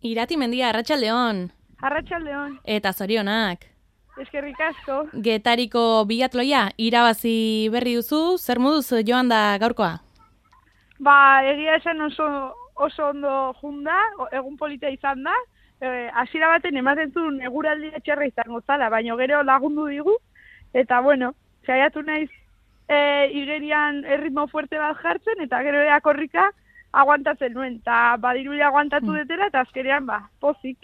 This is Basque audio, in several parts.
Irati Mendia, Arratsaldeon. Arratsaldeon. Eta zorionak. Eskerrik asko. Getariko biatloia irabazi berri duzu, zer moduz joan da gaurkoa? Egia esan oso ondo junda, egun polita izan da. Hasiera baten ematen zuen eguraldia txarra izango zala, baina gero lagundu digu. Eta saiatu naiz igerian erritmo fuerte bat jartzen, eta gero korrika aguantatzen nuen, eta badiruia aguantatu detela, eta azkenean, pozik.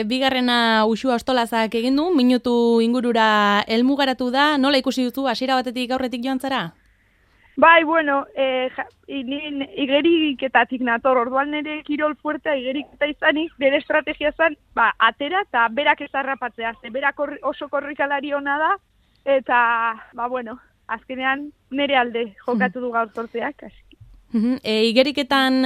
Bigarrena Uxua Ostolazak egin du, minutu ingurura helmugaratu da, nola ikusi duzu hasiera batetik aurretik joan zara? Nien igeriketatik nator, orduan nire kirol fuertea igeriketa izanik, nire estrategia zen, atera eta berak ez harrapatzea, berak oso korrikalari ona da, eta, azkenean nire alde jokatu du gaur sortzeak. Igeriketan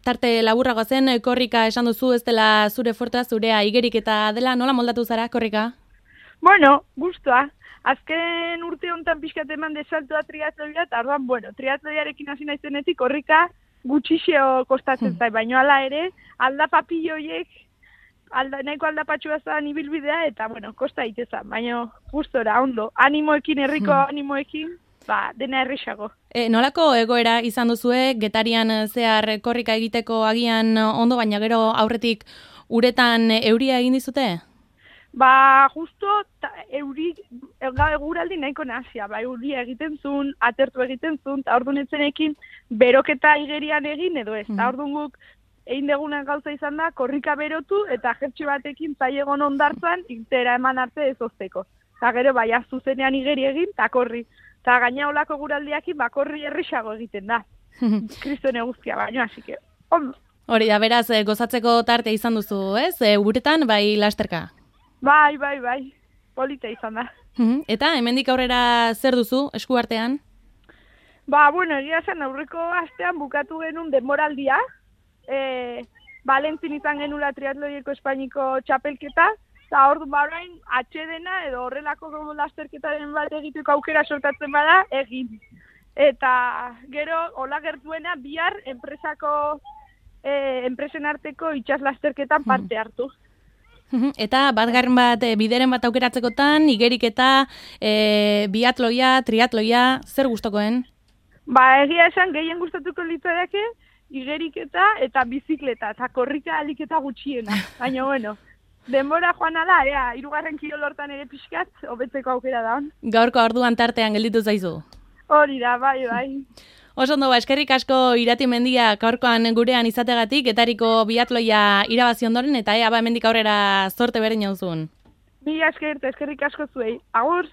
tarte laburrago zen, korrika esan duzu ez dela zure fuertea, zurea igeriketa dela, nola moldatu zara korrika? Guztua. Azken urte honetan pixkat eman desaltoa triatloia, eta orduan, triatloiarekin hasi naizenetik korrika gutxixeo kostatzen zai, baina hala ere, aldapapilloiek, nahiko aldapatxua zan ibilbidea, eta, kosta itezan, baina gustora, ondo, animoekin, herriko animoekin, dena errexago. Nolako egoera izan duzue, Getarian zehar korrika egiteko agian ondo, baina gero aurretik uretan euria egin dizute? Justo eguraldi nahiko nazia, euria egiten zuen, atertu egiten zuen, eta orduan etzenekin beroketa igerian egin edo ez. Eta orduan guk egin degunen gauza izan da, korrika berotu eta jertxe batekin zaiegon ondartzan, irtera eman arte ez ozteko. Eta gero zuzenean igeri egin, eta korri. Eta gaina olako guraldiakin, korri errexago egiten da. Kristone guztia baino, hasi que, ondo. Hori da, beraz, gozatzeko tarte izan duzu, ez? Uretan, bai lasterka? Bai, polita izan da. Eta, hemendik aurrera zer duzu, eskuartean? Egia zen aurreko astean bukatu genuen denboraldia. Valentzin izan genula triatloieko Espainiko txapelketa, eta orduan orain atxedena edo horrelako lasterketaren bat egiteko aukera sortatzen bada, egin. Eta gero, hola gertuena, bihar enpresen arteko itxas lasterketan parte hartu. Eta bat bideren bat aukeratzekotan, igeriketa, biatloia, triatloia, zer gustokoen? Egia esan gehien gustatuko litzaiake, igeriketa eta bizikleta, eta korrika aliketa gutxiena. Baina, denbora joan ala, hirugarren kirol hortan ere pixkat, hobetzeko aukera da hon. Gaurko orduan tartean gelditu zaizu? Hori da, bai. Oso ondo, eskerrik asko Irati Mendia gaurkoan gurean izategatik, Getariko biatloia irabazi ondoren, eta hemendik aurrera zorte berdin jauzun. Mila eskerrik asko zuei. Agur!